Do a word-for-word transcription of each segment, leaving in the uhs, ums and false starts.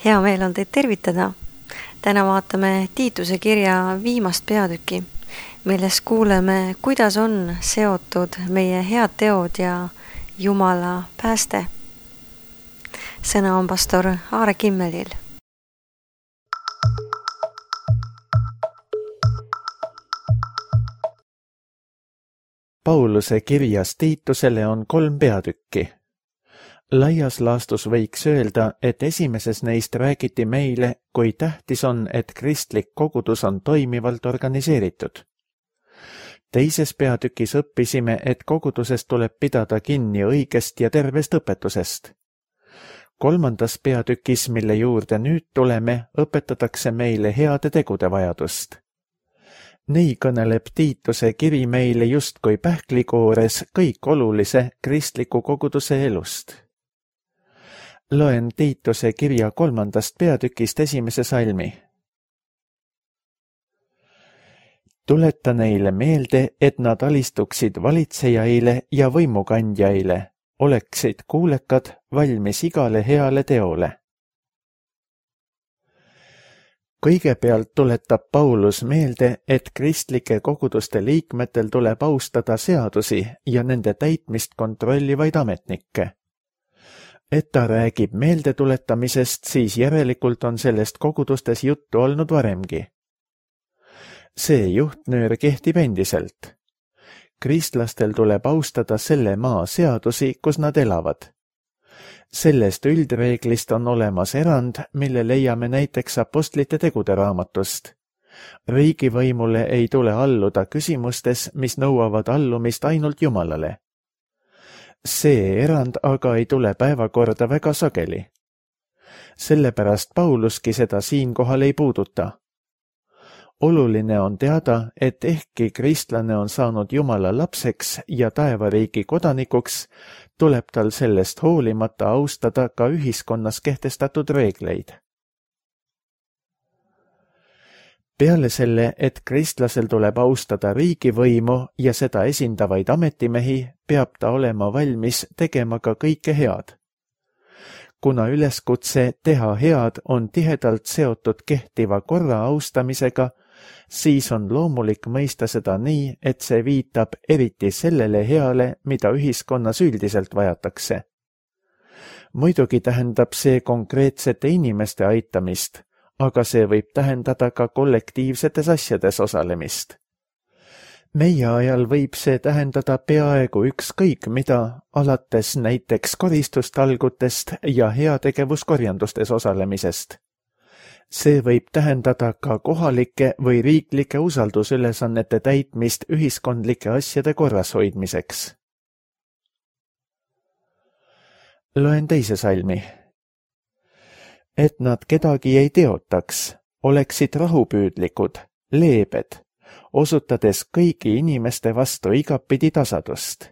Hea meel on teid tervitada. Täna vaatame Tiituse kirja viimast peatüki, milles kuuleme, kuidas on seotud meie head teod ja Jumala pääste. Sõna on pastor Aare Kimmelil. Pauluse kirjas Tiitusele on kolm peatükki. Laias laastus võiks öelda, et esimeses neist räägiti meile, kui tähtis on, et kristlik kogudus on toimivalt organiseeritud. Teises peatükis õppisime, et kogudusest tuleb pidada kinni õigest ja tervest õpetusest. Kolmandas peatükis, mille juurde nüüd tuleme, õpetatakse meile heade tegude vajadust. Nii kõneleb Tiituse kiri meile justkui pähklikoores kõik olulise kristliku koguduse elust. Loen Tiituse kirja kolmandast peatükist esimese salmi. Tuleta neile meelde, et nad alistuksid valitsejaile ja võimukandjaile, oleksid kuulekad, valmis igale heale teole. Kõigepealt tuletab Paulus meelde, et kristlike koguduste liikmetel tuleb austada seadusi ja nende täitmist kontrollivaid ametnikke. Et ta räägib meeldetuletamisest, siis järelikult on sellest kogudustes juttu olnud varemgi. See juhtnöör kehtib endiselt. Kristlastel tuleb austada selle maa seadusi, kus nad elavad. Sellest üldreeglist on olemas erand, mille leiame näiteks apostlite tegude raamatust. Riigivõimule ei tule alluda küsimustes, mis nõuavad allumist ainult Jumalale. See erand aga ei tule päevakorda väga sageli. Sellepärast Pauluski seda siinkohal ei puuduta. Oluline on teada, et ehkki kristlane on saanud Jumala lapseks ja taevariigi kodanikuks, tuleb tal sellest hoolimata austada ka ühiskonnas kehtestatud reegleid. Peale selle, et kristlasel tuleb austada riigivõimu ja seda esindavaid ametimehi, peab ta olema valmis tegema ka kõike head. Kuna üleskutse teha head on tihedalt seotud kehtiva korra austamisega, siis on loomulik mõista seda nii, et see viitab eriti sellele heale, mida ühiskonnas üldiselt vajatakse. Muidugi tähendab see konkreetsete inimeste aitamist, aga see võib tähendada ka kollektiivsetes asjades osalemist. Meie ajal võib see tähendada peaaegu ükskõik mida, alates näiteks koristustalgutest ja heategevuskorjandustes osalemisest. See võib tähendada ka kohalike või riiklike usaldusülesannete täitmist ühiskondlike asjade korras hoidmiseks. Loen teise salmi. Et nad kedagi ei teotaks, oleksid rahupüüdlikud, leebed, osutades kõigi inimeste vastu igapidi tasadust.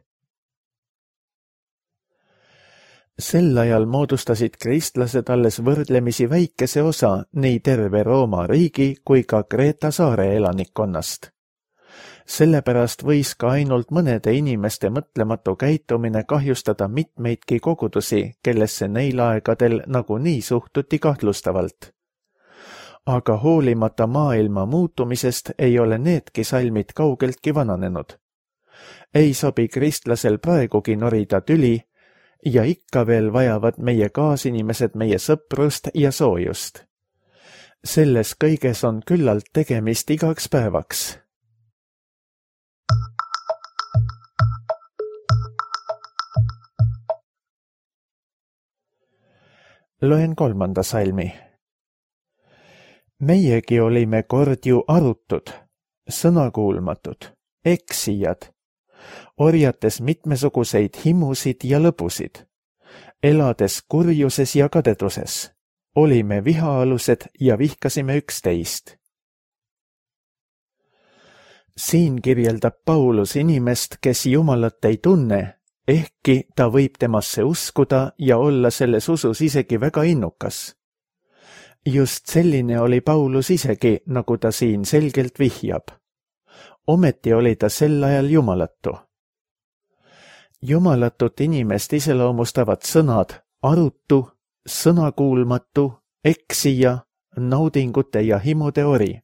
Sel ajal moodustasid kristlased alles võrdlemisi väikese osa nii terve Rooma riigi kui ka Kreeta saare elanikkonnast. Sellepärast võis ka ainult mõnede inimeste mõtlematu käitumine kahjustada mitmeidki kogudusi, kellesse neil aegadel nagunii suhtuti kahtlustavalt. Aga hoolimata maailma muutumisest ei ole needki salmid kaugeltki vananenud. Ei sobi kristlasel praegugi norida tüli, ja ikka veel vajavad meie kaasinimesed meie sõprust ja soojust. Selles kõiges on küllalt tegemist igaks päevaks. Loen kolmanda salmi. Meiegi olime kord ju arutud, sõnakuulmatud, eksijad, orjates mitmesuguseid himusid ja lõbusid, elades kurjuses ja kadeduses, olime vihaalused ja vihkasime üksteist. Siin kirjeldab Paulus inimest, kes Jumalat ei tunne, ehkki ta võib temasse uskuda ja olla selles usus isegi väga innukas. Just selline oli Paulus isegi, nagu ta siin selgelt vihjab. Ometi oli ta sel ajal jumalatu. Jumalatut inimest iseloomustavad sõnad arutu, sõnakuulmatu eksija, naudingute ja himude ori.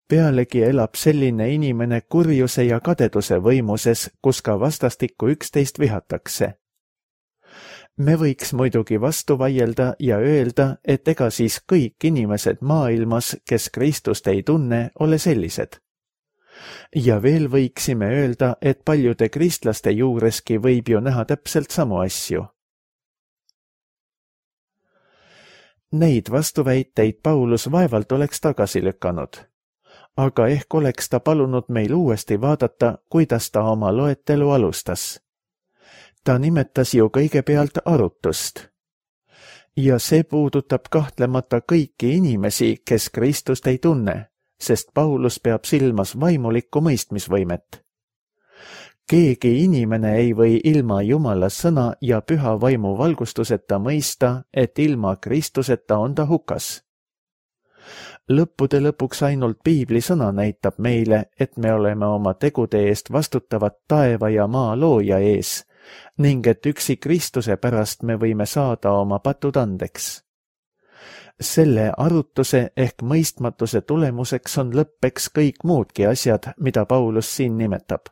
Pealegi elab selline inimene kurjuse ja kadeduse võimuses, kus ka vastastikku üksteist vihatakse. Me võiks muidugi vastu vaielda ja öelda, et ega siis kõik inimesed maailmas, kes Kristust ei tunne, ole sellised. Ja veel võiksime öelda, et paljude kristlaste juureski võib ju näha täpselt samu asju. Neid vastuväiteid Paulus vaevalt oleks tagasi lükanud, aga ehk oleks ta palunud meil uuesti vaadata, kuidas ta oma loetelu alustas. Ta nimetas ju kõigepealt arutust. Ja see puudutab kahtlemata kõiki inimesi, kes Kristust ei tunne, sest Paulus peab silmas vaimulikku mõistmisvõimet. Keegi inimene ei või ilma Jumala sõna ja püha vaimu valgustuseta mõista, et ilma Kristuseta on ta hukas. Lõppude lõpuks ainult piibli sõna näitab meile, et me oleme oma tegude eest vastutavad taeva ja maa looja ees, ning et üksi Kristuse pärast me võime saada oma patud andeks. Selle arutuse ehk mõistmatuse tulemuseks on lõppeks kõik muudki asjad, mida Paulus siin nimetab.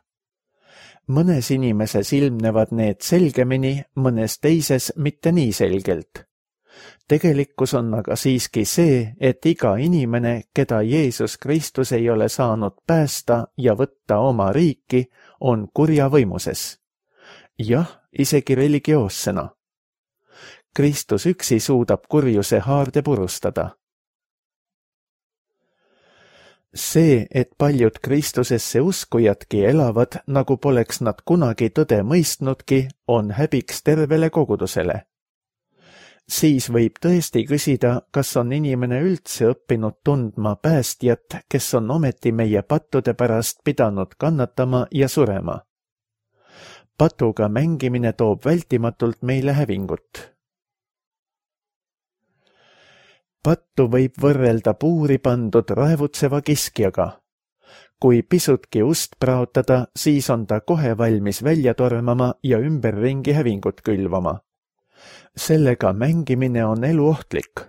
Mõnes inimeses ilmnevad need selgemini, mõnes teises mitte nii selgelt. Tegelikkus on aga siiski see, et iga inimene, keda Jeesus Kristus ei ole saanud päästa ja võtta oma riiki, on kurja võimuses. Jah, isegi religioossena. Kristus üksi suudab kurjuse haarde purustada. See, et paljud Kristusesse uskujadki elavad, nagu poleks nad kunagi tõde mõistnudki, on häbiks tervele kogudusele. Siis võib tõesti küsida, kas on inimene üldse õppinud tundma päästjat, kes on ometi meie pattude pärast pidanud kannatama ja surema. Patuga mängimine toob vältimatult meile hävingut. Pattu võib võrrelda puuri pandud raevutseva kiskjaga. Kui pisutki ust praotada, siis on ta kohe valmis välja tormama ja ümberringi hävingut külvama. Sellega mängimine on eluohtlik.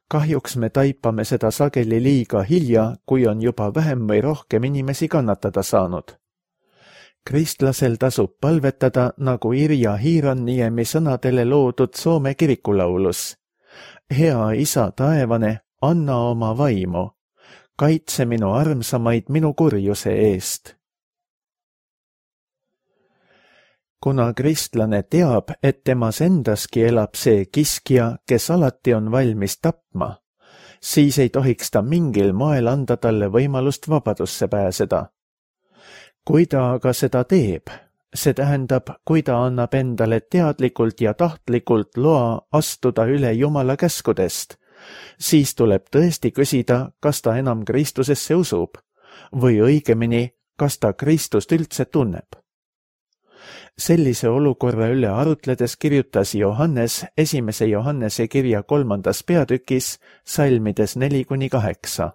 Kahjuks me taipame seda sageli liiga hilja, kui on juba vähem või rohkem inimesi kannatada saanud. Kristlasel tasub palvetada, nagu Irja Hiiranniemi sõnadele loodud Soome kirikulaulus. Hea isa taevane, anna oma vaimu, kaitse minu armsamaid minu kurjuse eest. Kuna kristlane teab, et temas endaski elab see kiskja, kes alati on valmis tapma, siis ei tohiks ta mingil moel anda talle võimalust vabadusse pääseda. Kui ta aga seda teeb, see tähendab, kui ta annab endale teadlikult ja tahtlikult loa astuda üle Jumala käskudest, siis tuleb tõesti küsida, kas ta enam Kristusesse usub või õigemini, kas ta Kristust üldse tunneb. Sellise olukorra üle arutledes kirjutas Johannes esimese Johannese kirja kolmandas peatükis salmides neli kuni kaheksa.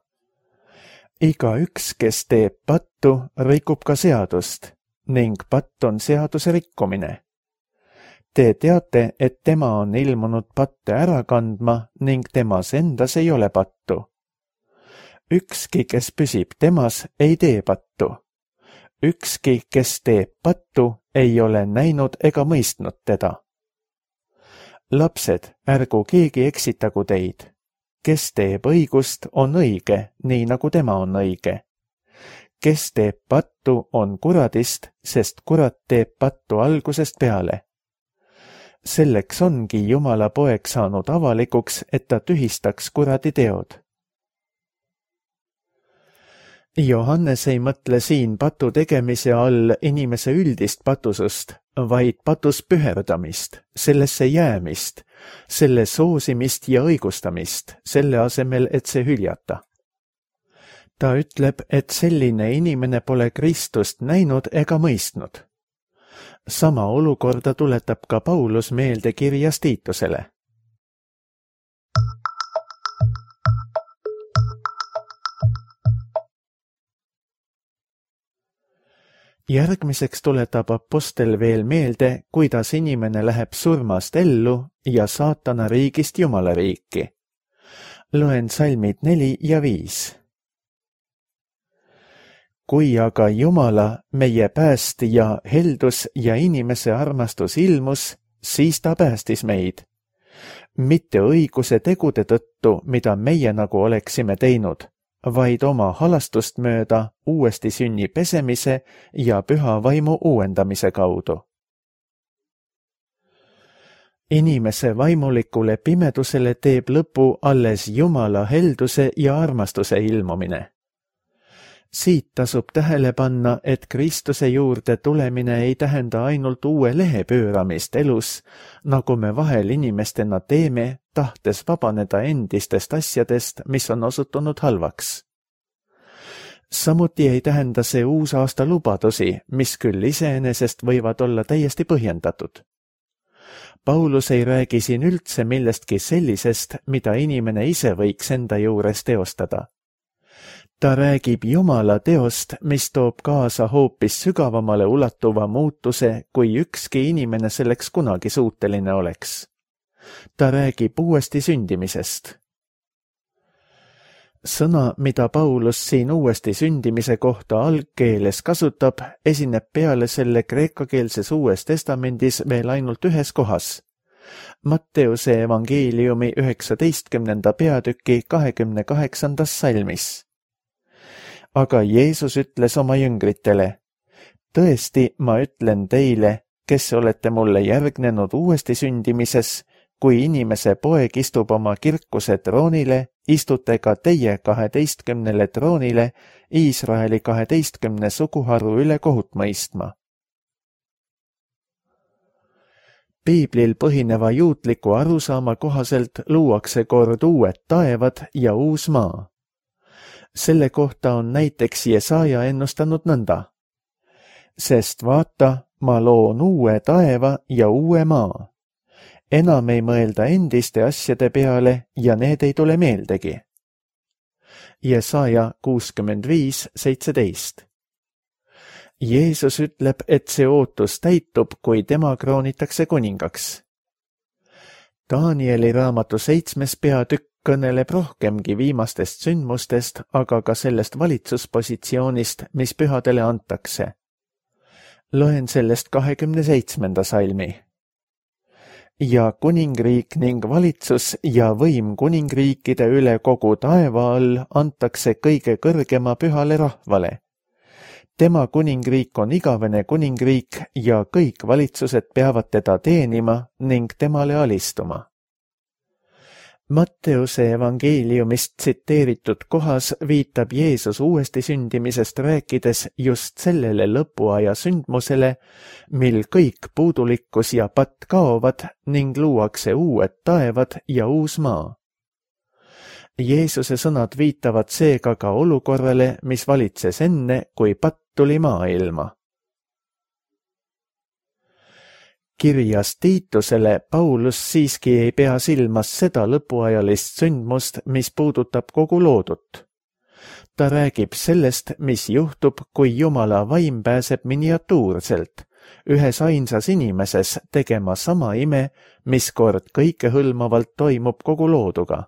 Iga üks, kes teeb pattu, rikub ka seadust, ning patt on seaduse rikkumine. Te teate, et tema on ilmunud patte ära kandma ning temas endas ei ole pattu. Ükski, kes püsib temas, ei tee pattu. Ükski, kes teeb pattu, ei ole näinud ega mõistnud teda. Lapsed, ärgu keegi eksitagu teid. Kes teeb õigust, on õige, nii nagu tema on õige. Kes teeb pattu, on kuradist, sest kurat teeb pattu algusest peale. Selleks ongi Jumala poeg saanud avalikuks, et ta tühistaks kuradi teod. Johannes ei mõtle siin patu tegemise all inimese üldist patusust, vaid patus püherdamist, sellesse jäämist, selle soosimist ja õigustamist, selle asemel, et see hüljata. Ta ütleb, et selline inimene pole Kristust näinud ega mõistnud. Sama olukorda tuletab ka Paulus meelde kirjas Tiitusele. Järgmiseks tuletab apostel veel meelde, kuidas inimene läheb surmast ellu ja saatana riigist Jumala riiki. Loen salmid neli ja viis. Kui aga Jumala, meie päästja, heldus ja inimese armastus ilmus, siis ta päästis meid. Mitte õiguse tegude tõttu, mida meie nagu oleksime teinud, vaid oma halastust mööda uuesti sünni pesemise ja püha vaimu uuendamise kaudu. Inimese vaimulikule pimedusele teeb lõpu alles Jumala helduse ja armastuse ilmumine. Siit tasub tähele panna, et Kristuse juurde tulemine ei tähenda ainult uue lehe pööramist elus, nagu me vahel inimestena teeme, tahtes vabaneda endistest asjadest, mis on osutunud halvaks. Samuti ei tähenda see uusaasta lubadusi, mis küll iseenesest võivad olla täiesti põhjendatud. Paulus ei räägi siin üldse millestki sellisest, mida inimene ise võiks enda juures teostada. Ta räägib Jumala teost, mis toob kaasa hoopis sügavamale ulatuva muutuse, kui ükski inimene selleks kunagi suuteline oleks. Ta räägib uuesti sündimisest. Sõna, mida Paulus siin uuesti sündimise kohta algkeeles kasutab, esineb peale selle kreekakeelses Uues Testamendis veel ainult ühes kohas. Matteuse evangeeliumi üheksateistkümnenda peatüki kahekümne kaheksandas salmis. Aga Jeesus ütles oma jüngritele, tõesti, ma ütlen teile, kes olete mulle järgnenud uuesti sündimises, kui inimese poeg istub oma kirkuse troonile, istute ka teie kaheteistkümnele troonile Iisraeli kaheteistkümne suguharu üle kohut mõistma. Piiblil põhineva juutliku arusaama kohaselt luuakse kord uued taevad ja uus maa. Selle kohta on näiteks Jesaja ennustanud nõnda. Sest vaata, ma loon uue taeva ja uue maa. Enam ei mõelda endiste asjade peale ja need ei tule meeldegi. Jesaja kuuskümmend viis seitseteist. Jeesus ütleb, et see ootus täitub, kui tema kroonitakse kuningaks. Danieli raamatu seitsmes peatükk kõneleb rohkemgi viimastest sündmustest, aga ka sellest valitsuspositsioonist, mis pühadele antakse. Loen sellest kahekümne seitsmenda salmi. Ja kuningriik ning valitsus ja võim kuningriikide üle kogu taeva all antakse kõige kõrgema pühale rahvale. Tema kuningriik on igavene kuningriik ja kõik valitsused peavad teda teenima ning temale alistuma. Matteuse evangeeliumist tsiteeritud kohas viitab Jeesus uuesti sündimisest rääkides just sellele lõpuaja sündmusele, mil kõik puudulikkus ja patt kaovad ning luuakse uued taevad ja uus maa. Jeesuse sõnad viitavad seega ka olukorrale, mis valitses enne, kui patt tuli maailma. Kirjas Tiitusele Paulus siiski ei pea silmas seda lõpuajalist sündmust, mis puudutab kogu loodut. Ta räägib sellest, mis juhtub, kui Jumala vaim pääseb miniatuurselt, ühes ainsas inimeses tegema sama ime, mis kord kõikehõlmavalt toimub kogu looduga.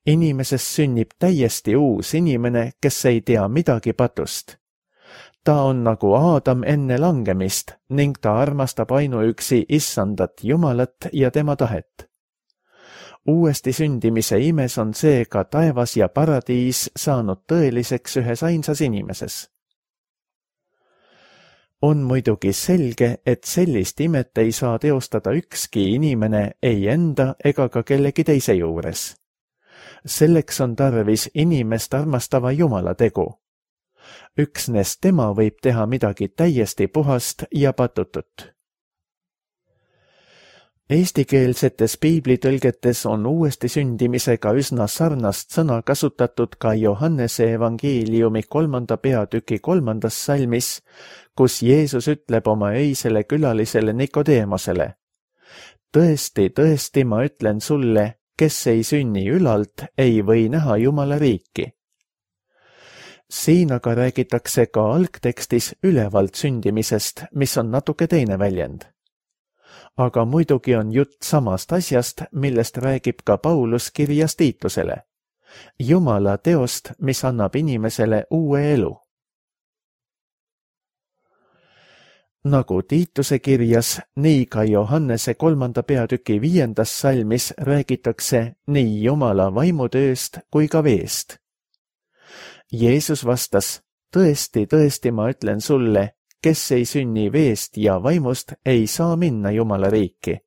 Inimesest sünnib täiesti uus inimene, kes ei tea midagi patust. Ta on nagu Aadam enne langemist ning ta armastab ainuüksi Issandat Jumalat ja tema tahet. Uuesti sündimise imes on seega taevas ja paradiis saanud tõeliseks ühes ainsas inimeses. On muidugi selge, et sellist imet ei saa teostada ükski inimene ei enda ega ka kellegi teise juures. Selleks on tarvis inimest armastava Jumala tegu. Üksnes tema võib teha midagi täiesti puhast ja patutut. Eestikeelsetes piiblitõlgetes on uuesti sündimisega üsna sarnast sõna kasutatud ka Johannese evangeeliumi kolmanda peatüki kolmandas salmis, kus Jeesus ütleb oma öisele külalisele Nikodeemosele. Tõesti, tõesti, ma ütlen sulle, kes ei sünni ülalt, ei või näha Jumala riiki. siin aga räägitakse ka algtekstis ülevalt sündimisest, mis on natuke teine väljend. Aga muidugi on jutt samast asjast, millest räägib ka Paulus kirjas Tiitusele. Jumala teost, mis annab inimesele uue elu. Nagu Tiituse kirjas, nii ka Johannese kolmanda peatüki viiendas salmis räägitakse nii Jumala vaimutööst kui ka veest. Jeesus vastas, tõesti, tõesti ma ütlen sulle, kes ei sünni veest ja vaimust, ei saa minna Jumala riiki.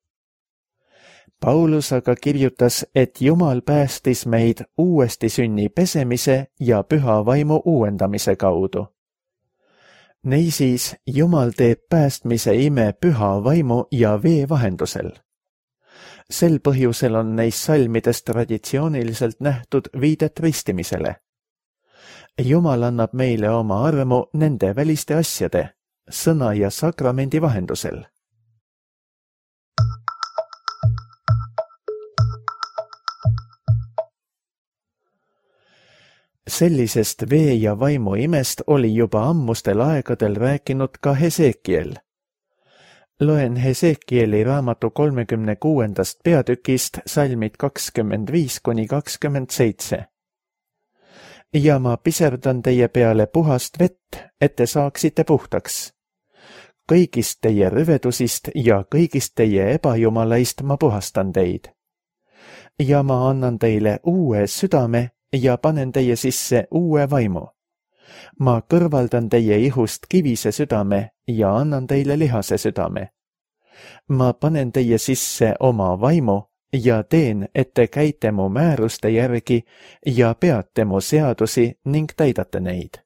Paulus aga kirjutas, et Jumal päästis meid uuesti sünni pesemise ja püha vaimu uuendamise kaudu. Niisiis, Jumal teeb päästmise ime püha vaimu ja vee vahendusel. Sel põhjusel on neis salmides traditsiooniliselt nähtud viidet ristimisele. Jumal annab meile oma armu nende väliste asjade, sõna ja sakramendi vahendusel. Sellisest vee ja vaimu imest oli juba ammustel aegadel rääkinud ka Hesekiel. Loen Hesekieli raamatu kolmekümne kuuendast peatükist salmid kakskümmend viis kuni kakskümmend seitse. Ja ma piserdan teie peale puhast vett, et te saaksite puhtaks. Kõigist teie rüvedusist ja kõigist teie ebajumalaist ma puhastan teid. Ja ma annan teile uue südame ja panen teie sisse uue vaimu. Ma kõrvaldan teie ihust kivise südame ja annan teile lihase südame. Ma panen teie sisse oma vaimu ja teen, et te käite mu määruste järgi ja peate mu seadusi ning täidate neid.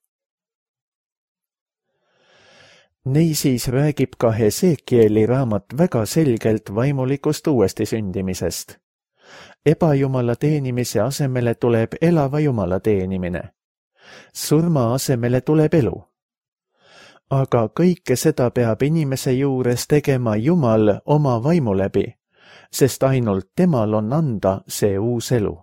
Niisiis räägib ka Hesekieli raamat väga selgelt vaimulikust uuesti sündimisest. Ebajumala teenimise asemele tuleb elava Jumala teenimine. Surma asemele tuleb elu. Aga kõike seda peab inimese juures tegema Jumal oma vaimu läbi, sest ainult temal on anda see uus elu.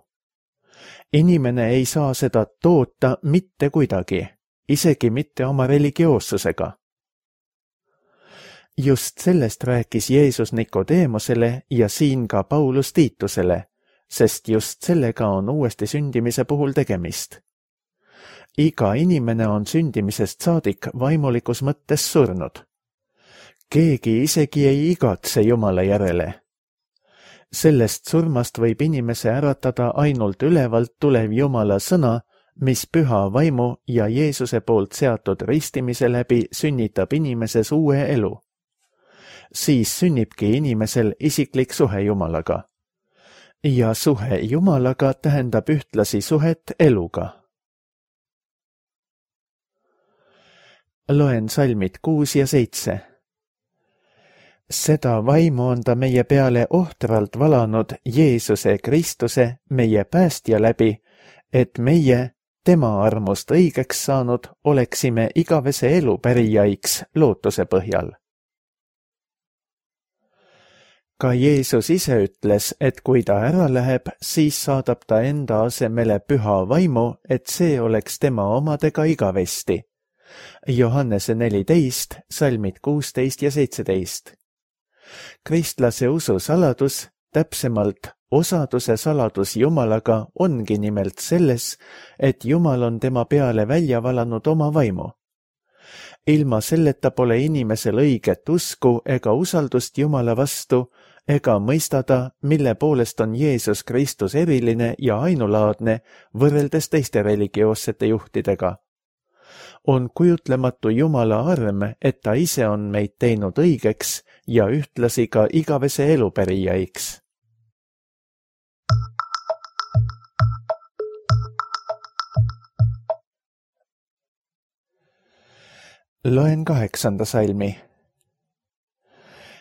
Inimene ei saa seda toota mitte kuidagi, isegi mitte oma religioossusega. Just sellest rääkis Jeesus Nikodeemosele ja siin ka Paulus Tiitusele, sest just sellega on uuesti sündimise puhul tegemist. Iga inimene on sündimisest saadik vaimulikus mõttes surnud. Keegi isegi ei igatse Jumala järele. Sellest surmast võib inimese äratada ainult ülevalt tulev Jumala sõna, mis püha vaimu ja Jeesuse poolt seatud ristimise läbi sünnitab inimeses uue elu. Siis sünnibki inimesel isiklik suhe Jumalaga. Ja suhe Jumalaga tähendab ühtlasi suhet eluga. Loen salmid kuus ja seitse. Seda vaimu on ta meie peale ohtralt valanud Jeesuse Kristuse, meie päästja läbi, et meie, tema armust õigeks saanud, oleksime igavese elu pärijaiks lootuse põhjal. Ka Jeesus ise ütles, et kui ta ära läheb, siis saadab ta enda asemele püha vaimu, et see oleks tema omadega igavesti. Johannese neliteist, salmid kuusteist ja seitseteist. Kristlase usu saladus, täpsemalt osaduse saladus Jumalaga ongi nimelt selles, et Jumal on tema peale välja valanud oma vaimu. Ilma selleta pole inimesel õiget usku ega usaldust Jumala vastu, ega mõistada, mille poolest on Jeesus Kristus eriline ja ainulaadne võrreldes teiste religioossete juhtidega. On kujutlematu Jumala arm, et ta ise on meid teinud õigeks ja ühtlasi ka igavese elu pärijaiks. Loen kaheksanda salmi.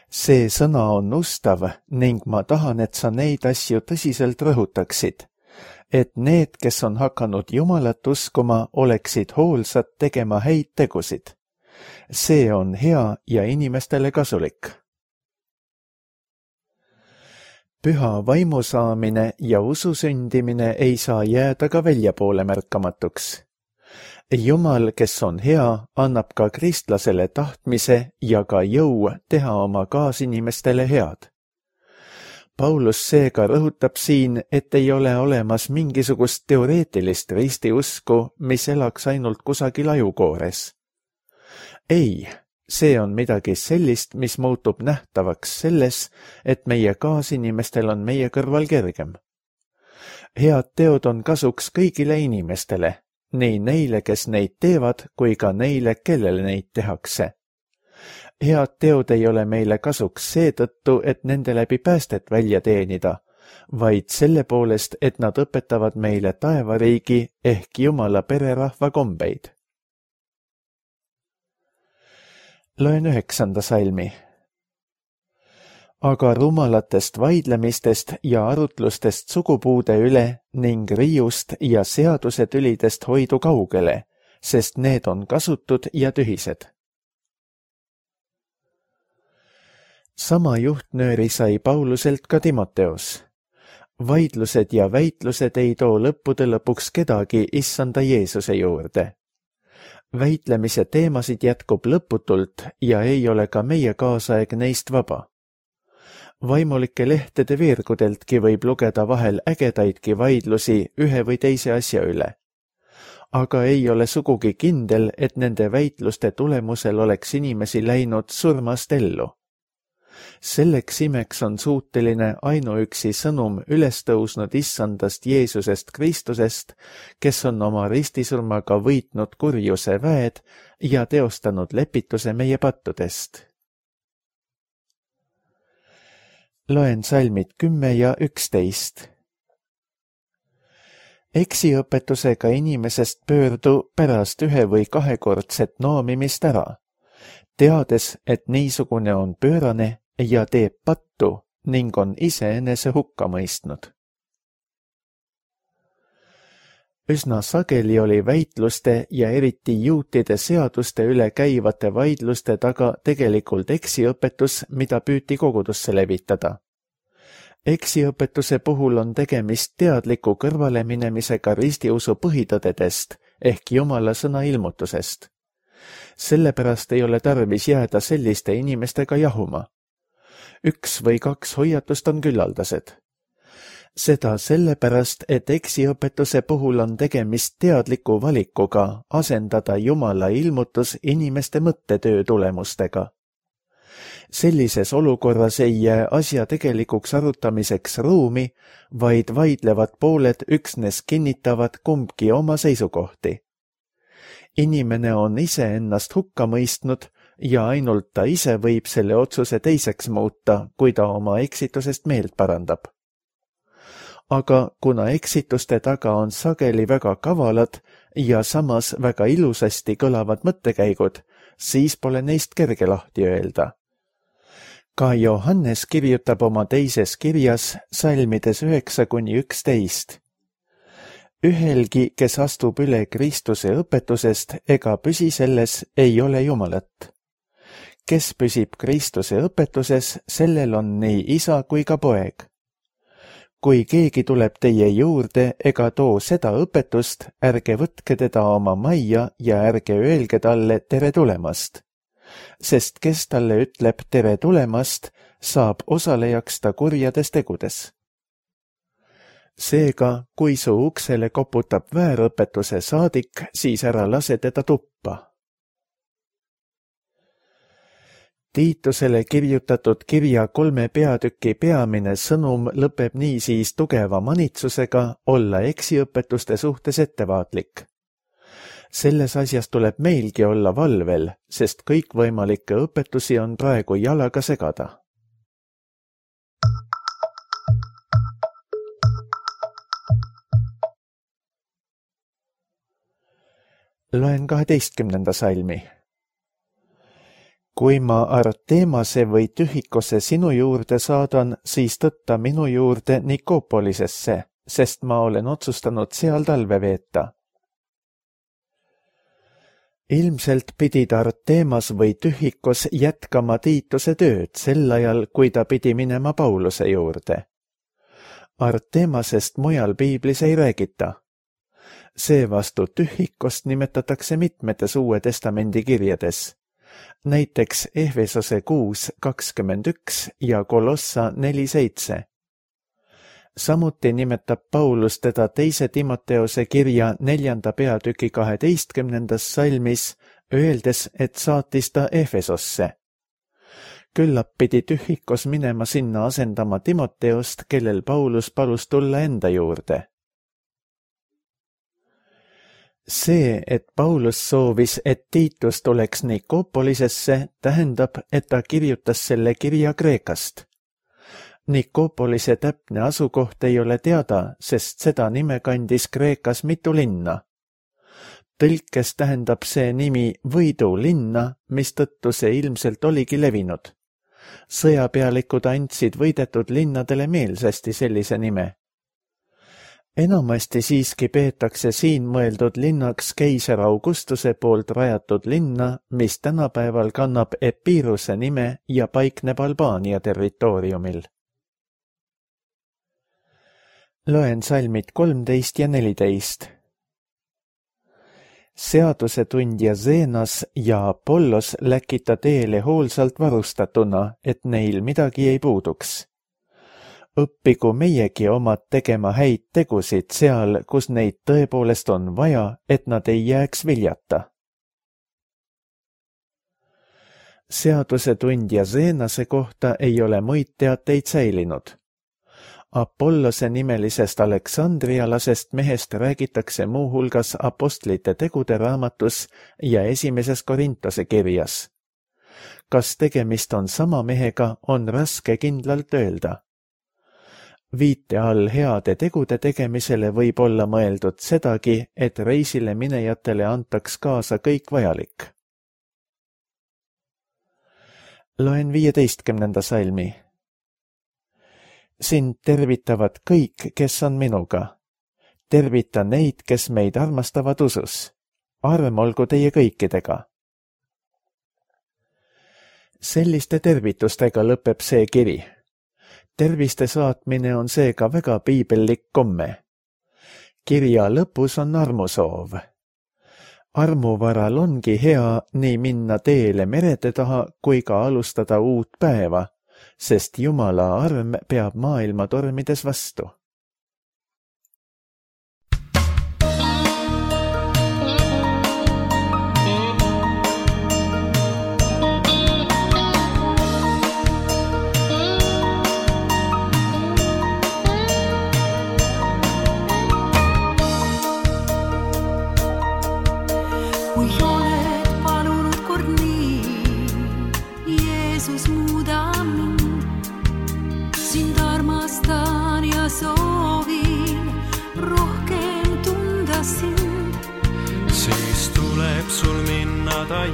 See sõna on ustav ning ma tahan, et sa neid asju tõsiselt rõhutaksid, et need, kes on hakanud Jumalat uskuma, oleksid hoolsad tegema häid tegusid. See on hea ja inimestele kasulik. Püha vaimu saamine ja usu sündimine ei saa jääda ka väljapoole märkamatuks. Jumal, kes on hea, annab ka kristlasele tahtmise ja ka jõu teha oma kaasinimestele head. Paulus seega rõhutab siin, et ei ole olemas mingisugust teoreetilist ristiusku, mis elaks ainult kusagil ajukoores. Ei, see on midagi sellist, mis muutub nähtavaks selles, et meie kaasinimestel on meie kõrval kergem. Head teod on kasuks kõigile inimestele, nii neile, kes neid teevad, kui ka neile, kellele neid tehakse. Head teod ei ole meile kasuks seetõttu, et nende läbi päästet välja teenida, vaid selle poolest, et nad õpetavad meile taevariigi ehk Jumala pererahva kombeid. Loen üheksanda salmi. Aga rumalatest vaidlemistest ja arutlustest sugupuude üle ning riiust ja seadusetülidest hoidu kaugele, sest need on kasutud ja tühised. Sama juhtnööri sai Pauluselt ka Timoteos. Vaidlused ja väitlused ei too lõppude lõpuks kedagi issanda Jeesuse juurde. Väitlemise teemasid jätkub lõputult ja ei ole ka meie kaasaeg neist vaba. Vaimulike lehtede veergudeltki võib lugeda vahel ägedaidki vaidlusi ühe või teise asja üle. Aga ei ole sugugi kindel, et nende väitluste tulemusel oleks inimesi läinud surmast ellu. Selleks imeks on suuteline ainuüksi sõnum ülestõusnud issandast Jeesusest Kristusest, kes on oma ristisurmaga võitnud kurjuse väed ja teostanud lepituse meie pattudest. Loen salmid kümme ja üksteist. Eksiõpetusega inimesest pöördu pärast ühe või kahekordset noomimist ära, teades, et niisugune on pöörane ja teeb pattu ning on iseenese hukka mõistnud. Üsna sageli oli väitluste ja eriti juutide seaduste üle käivate vaidluste taga tegelikult eksiõpetus, mida püüti kogudusse levitada. Eksiõpetuse puhul on tegemist teadliku kõrvaleminemisega ristiusu põhitõdedest ehk Jumala sõna ilmutusest. Sellepärast ei ole tarvis jääda selliste inimestega jahuma. Üks või kaks hoiatust on küllaldased. Seda sellepärast, et eksiõpetuse puhul on tegemist teadliku valikuga asendada Jumala ilmutus inimeste mõttetöö tulemustega. Sellises olukorras ei jää asja tegelikuks arutamiseks ruumi, vaid vaidlevad pooled üksnes kinnitavad kumbki oma seisukohti. Inimene on ise ennast hukka mõistnud ja ainult ta ise võib selle otsuse teiseks muuta, kui ta oma eksitusest meelt parandab. Aga kuna eksituste taga on sageli väga kavalad ja samas väga ilusasti kõlavad mõttekäigud, siis pole neist kerge lahti öelda. Ka Johannes kirjutab oma teises kirjas salmides üheksa kuni üksteist. Ühelgi, kes astub üle Kristuse õpetusest ega püsi selles, ei ole Jumalat. Kes püsib Kristuse õpetuses, sellel on nii isa kui ka poeg. Kui keegi tuleb teie juurde ega too seda õpetust, ärge võtke teda oma majja ja ärge öelge talle tere tulemast. Sest kes talle ütleb tere tulemast, saab osalejaks ta kurjades tegudes. Seega, kui su uksele koputab väärõpetuse saadik, siis ära lase teda tuppa. Tiitusele kirjutatud kirja kolme peatüki peamine sõnum lõpeb niisiis tugeva manitsusega olla eksiõpetuste suhtes ettevaatlik. Selles asjas tuleb meilgi olla valvel, sest kõikvõimalikke õpetusi on praegu jalaga segada. Loen kaheteistkümnenda salmi. Kui ma Artemase või Tühikose sinu juurde saadan, siis tõtta minu juurde Nikopolisesse, sest ma olen otsustanud seal talve veeta. Ilmselt pidid Artemas või Tühikos jätkama Tiituse tööd sel ajal, kui ta pidi minema Pauluse juurde. Artemasest mujal piiblis ei räägita. Seevastu tühhikost nimetatakse mitmetes Uue Testamendi kirjades, näiteks Ehvesose kuus kakskümmend üks ja Kolossa neli seitse. Samuti nimetab Paulus teda teise Timoteose kirja neljanda peatüki kaheteistkümnendas salmis, öeldes, et saatis ta Ehvesosse. Küllap pidi tühhikos minema sinna asendama Timoteost, kellel Paulus palus tulla enda juurde. See, et Paulus soovis, et Tiitus tuleks Nikopolisesse, tähendab, et ta kirjutas selle kirja Kreekast. Nikopolise täpne asukoht ei ole teada, sest seda nime kandis Kreekas mitu linna. Tõlkes tähendab see nimi võidulinna, mistõttu see ilmselt oligi levinud. Sõjapealikud andsid võidetud linnadele meelsasti sellise nime. Enamasti siiski peetakse siin mõeldud linnaks keiser Augustuse poolt rajatud linna, mis tänapäeval kannab Epiruse nime ja paikneb Albaania territooriumil. Loen salmid kolmteist ja neliteist. Seadusetundja Zenas ja Apollos läkita teele hoolsalt varustatuna, et neil midagi ei puuduks. Õppigu meiegi omad tegema häid tegusid seal, kus neid tõepoolest on vaja, et nad ei jääks viljata. Seadusetundja Zenase kohta ei ole muid teateid säilinud. Apollose nimelisest aleksandrialasest mehest räägitakse muuhulgas apostlite tegude raamatus ja esimeses Korintose kirjas. Kas tegemist on sama mehega, on raske kindlalt öelda. Viite all heade tegude tegemisele võib olla mõeldud sedagi, et reisile minejatele antaks kaasa kõik vajalik. Loen viieteistkümnenda salmi. Sind tervitavad kõik, kes on minuga. Tervita neid, kes meid armastavad usus. Arm olgu teie kõikidega. Selliste tervitustega lõpeb see kiri. Terviste saatmine on seega väga piibellik komme. Kirja lõpus on armusoov. Armuvaral ongi hea nii minna teele merede taha kui ka alustada uut päeva, sest Jumala arm peab maailma tormides vastu.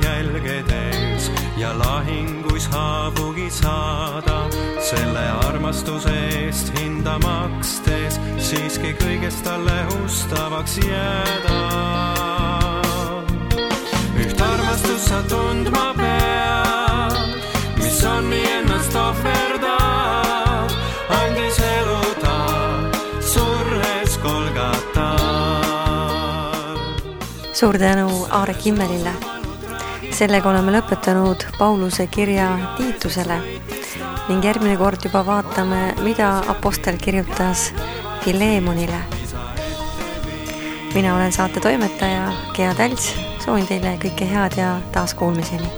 Jälgedes ja lahinguis haavugi saada, selle armastuse eest hinda makstes siiski kõigest talle ustavaks jääda. Üht armastust sa tundma pead, mis on nii ennast ohverdab, andis elu ta surres Golgatal. Suur tänu Aare Kimmelile. Sellega oleme lõpetanud Pauluse kirja Tiitusele ning järgmine kord juba vaatame, mida apostel kirjutas Filemonile. Mina olen saate toimetaja Gea Tälts, soovin teile kõike head ja taas kuulmiseni.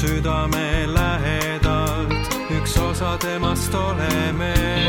Südame lähedalt, üks osa temast oleme.